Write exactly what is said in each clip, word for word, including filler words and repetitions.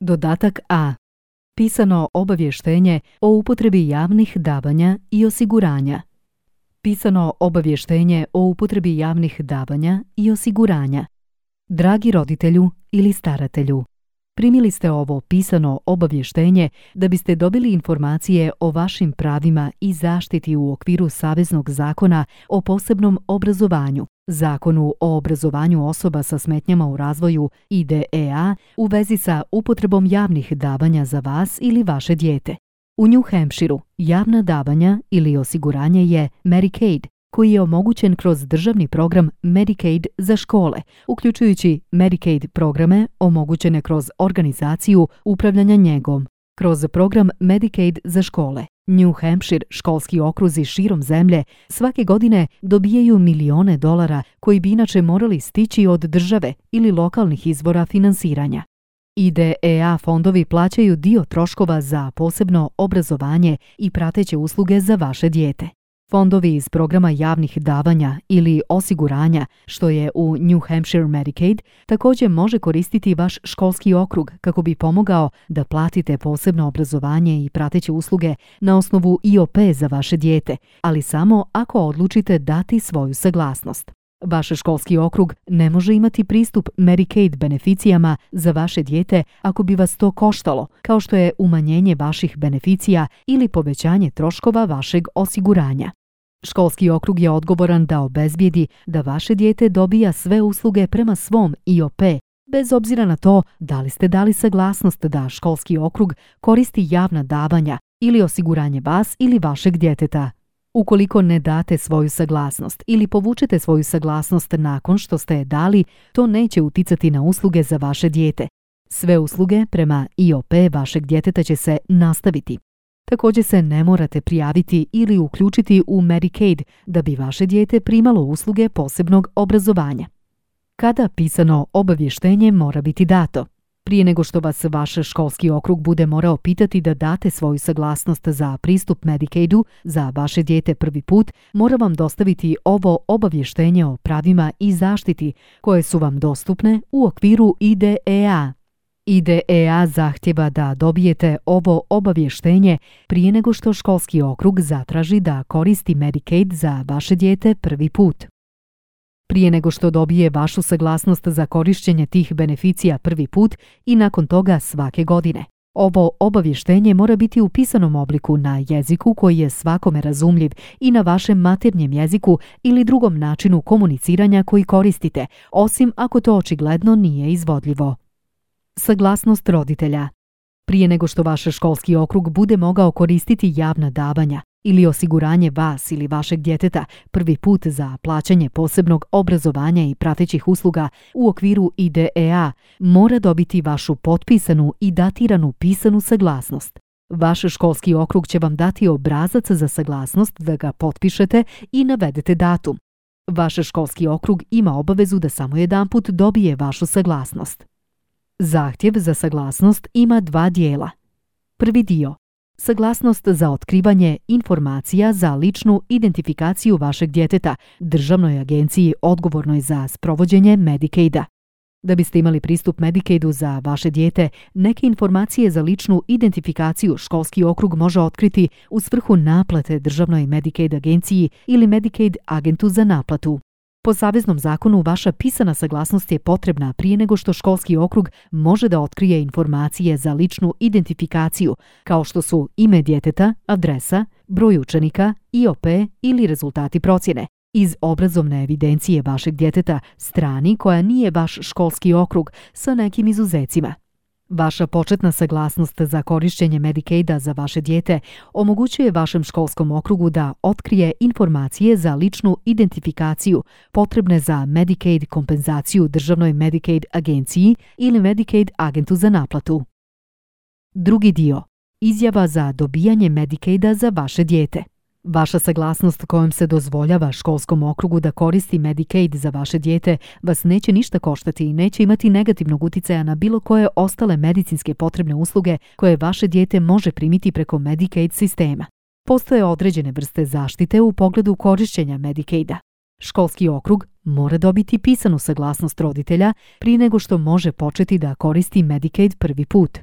Dodatak A. Pisano obavještenje o upotrebi javnih davanja i osiguranja. Pisano obavještenje o upotrebi javnih davanja i osiguranja. Dragi roditelju ili staratelju, primili ste ovo pisano obavještenje da biste dobili informacije o vašim pravima i zaštiti u okviru Saveznog zakona o posebnom obrazovanju, Zakonu o obrazovanju osoba sa smetnjama u razvoju I D E A u vezi sa upotrebom javnih davanja za vas ili vaše dijete. U New Hampshireu javna davanja ili osiguranje je Medicaid, koji je omogućen kroz državni program Medicaid za škole, uključujući Medicaid programe omogućene kroz organizaciju upravljanja njegom. Kroz program Medicaid za škole, New Hampshire školski okruzi širom zemlje svake godine dobijaju milione dolara koji bi inače morali stići od države ili lokalnih izvora finansiranja. I D E A fondovi plaćaju dio troškova za posebno obrazovanje i prateće usluge za vaše dijete. Fondovi iz programa javnih davanja ili osiguranja, što je u New Hampshire Medicaid, također može koristiti vaš školski okrug kako bi pomogao da platite posebno obrazovanje i prateće usluge na osnovu I O P za vaše dijete, ali samo ako odlučite dati svoju saglasnost. Vaš školski okrug ne može imati pristup Medicaid beneficijama za vaše dijete ako bi vas to koštalo, kao što je umanjenje vaših beneficija ili povećanje troškova vašeg osiguranja. Školski okrug je odgovoran da obezbijedi da vaše dijete dobija sve usluge prema svom I O P, bez obzira na to da li ste dali saglasnost da školski okrug koristi javna davanja ili osiguranje vas ili vašeg djeteta. Ukoliko ne date svoju saglasnost ili povučete svoju saglasnost nakon što ste je dali, to neće uticati na usluge za vaše dijete. Sve usluge prema I O P vašeg djeteta će se nastaviti. Također se ne morate prijaviti ili uključiti u Medicaid da bi vaše dijete primalo usluge posebnog obrazovanja. Kada pisano obavještenje mora biti dato? Prije nego što vas vaš školski okrug bude morao pitati da date svoju saglasnost za pristup Medicaidu za vaše dijete prvi put, mora vam dostaviti ovo obavještenje o pravima i zaštiti koje su vam dostupne u okviru I D E A. I D E A zahtjeva da dobijete ovo obavještenje prije nego što školski okrug zatraži da koristi Medicaid za vaše dijete prvi put. Prije nego što dobije vašu saglasnost za korištenje tih beneficija prvi put i nakon toga svake godine. Ovo obavještenje mora biti u pisanom obliku na jeziku koji je svakome razumljiv i na vašem maternjem jeziku ili drugom načinu komuniciranja koji koristite, osim ako to očigledno nije izvodljivo. Saglasnost roditelja. Prije nego što vaš školski okrug bude mogao koristiti javna davanja ili osiguranje vas ili vašeg djeteta prvi put za plaćanje posebnog obrazovanja i pratećih usluga u okviru I D E A, mora dobiti vašu potpisanu i datiranu pisanu saglasnost. Vaš školski okrug će vam dati obrazac za saglasnost da ga potpišete i navedete datum. Vaš školski okrug ima obavezu da samo jedanput dobije vašu saglasnost. Zahtjev za saglasnost ima dva dijela. Prvi dio. Saglasnost za otkrivanje informacija za ličnu identifikaciju vašeg djeteta državnoj agenciji odgovornoj za sprovođenje Medicaida. Da biste imali pristup Medicaidu za vaše dijete, neke informacije za ličnu identifikaciju školski okrug može otkriti u svrhu naplate državnoj Medicaid agenciji ili Medicaid agentu za naplatu. Po saveznom zakonu vaša pisana saglasnost je potrebna prije nego što školski okrug može da otkrije informacije za ličnu identifikaciju, kao što su ime djeteta, adresa, broj učenika, I O P ili rezultati procjene, iz obrazovne evidencije vašeg djeteta strani koja nije vaš školski okrug sa nekim izuzecima. Vaša početna saglasnost za korištenje Medicaida za vaše dijete omogućuje vašem školskom okrugu da otkrije informacije za ličnu identifikaciju potrebne za Medicaid kompenzaciju državnoj Medicaid agenciji ili Medicaid agentu za naplatu. Drugi dio. Izjava za dobijanje Medicaida za vaše dijete. Vaša saglasnost kojom se dozvoljava školskom okrugu da koristi Medicaid za vaše dijete vas neće ništa koštati i neće imati negativnog uticaja na bilo koje ostale medicinske potrebne usluge koje vaše dijete može primiti preko Medicaid sistema. Postoje određene vrste zaštite u pogledu korištenja Medicaida. Školski okrug mora dobiti pisanu saglasnost roditelja prije nego što može početi da koristi Medicaid prvi put.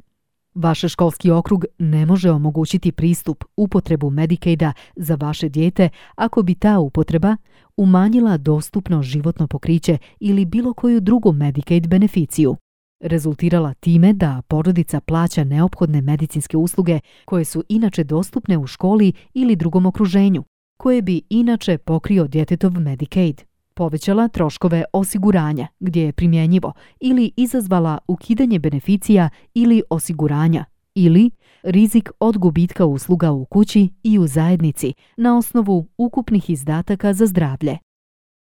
Vaš školski okrug ne može omogućiti pristup upotrebu Medicaida za vaše dijete ako bi ta upotreba umanjila dostupno životno pokriće ili bilo koju drugu Medicaid beneficiju, rezultirala time da porodica plaća neophodne medicinske usluge koje su inače dostupne u školi ili drugom okruženju, koje bi inače pokrio djetetov Medicaid, povećala troškove osiguranja gdje je primjenjivo ili izazvala ukidanje beneficija ili osiguranja ili rizik od gubitka usluga u kući i u zajednici na osnovu ukupnih izdataka za zdravlje.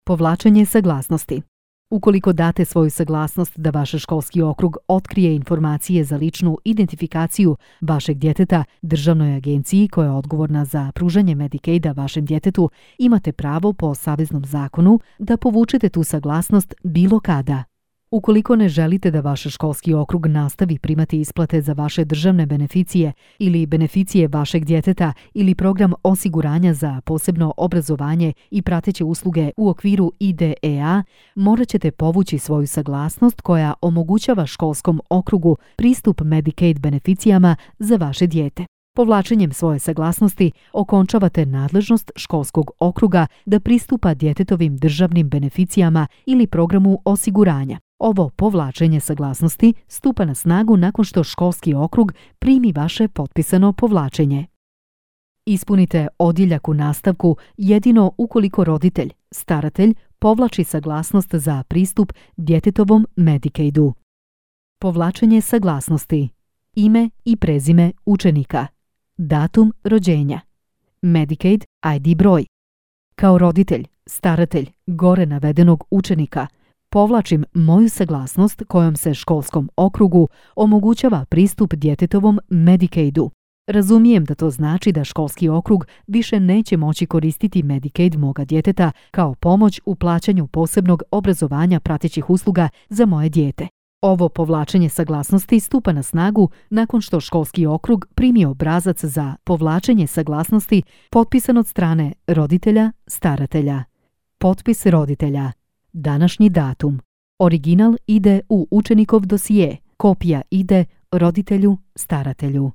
Povlačenje saglasnosti. Ukoliko date svoju saglasnost da vaš školski okrug otkrije informacije za ličnu identifikaciju vašeg djeteta državnoj agenciji koja je odgovorna za pružanje Medicaida vašem djetetu, imate pravo po saveznom zakonu da povučete tu saglasnost bilo kada. Ukoliko ne želite da vaš školski okrug nastavi primati isplate za vaše državne beneficije ili beneficije vašeg djeteta ili program osiguranja za posebno obrazovanje i prateće usluge u okviru I D E A, morat ćete povući svoju saglasnost koja omogućava školskom okrugu pristup Medicaid beneficijama za vaše dijete. Povlačenjem svoje saglasnosti okončavate nadležnost školskog okruga da pristupa djetetovim državnim beneficijama ili programu osiguranja. Ovo povlačenje saglasnosti stupa na snagu nakon što školski okrug primi vaše potpisano povlačenje. Ispunite odjeljak u nastavku jedino ukoliko roditelj, staratelj, povlači saglasnost za pristup djetetovom Medicaidu. Povlačenje saglasnosti. Ime i prezime učenika. Datum rođenja. Medicaid I D broj. Kao roditelj, staratelj gore navedenog učenika povlačim moju saglasnost kojom se školskom okrugu omogućava pristup djetetovom Medicaidu. Razumijem da to znači da školski okrug više neće moći koristiti Medicaid moga djeteta kao pomoć u plaćanju posebnog obrazovanja pratećih usluga za moje dijete. Ovo povlačenje saglasnosti stupa na snagu nakon što školski okrug primi obrazac za povlačenje saglasnosti potpisan od strane roditelja, staratelja. Potpis roditelja. Današnji datum. Original ide u učenikov dosije, kopija ide roditelju, staratelju.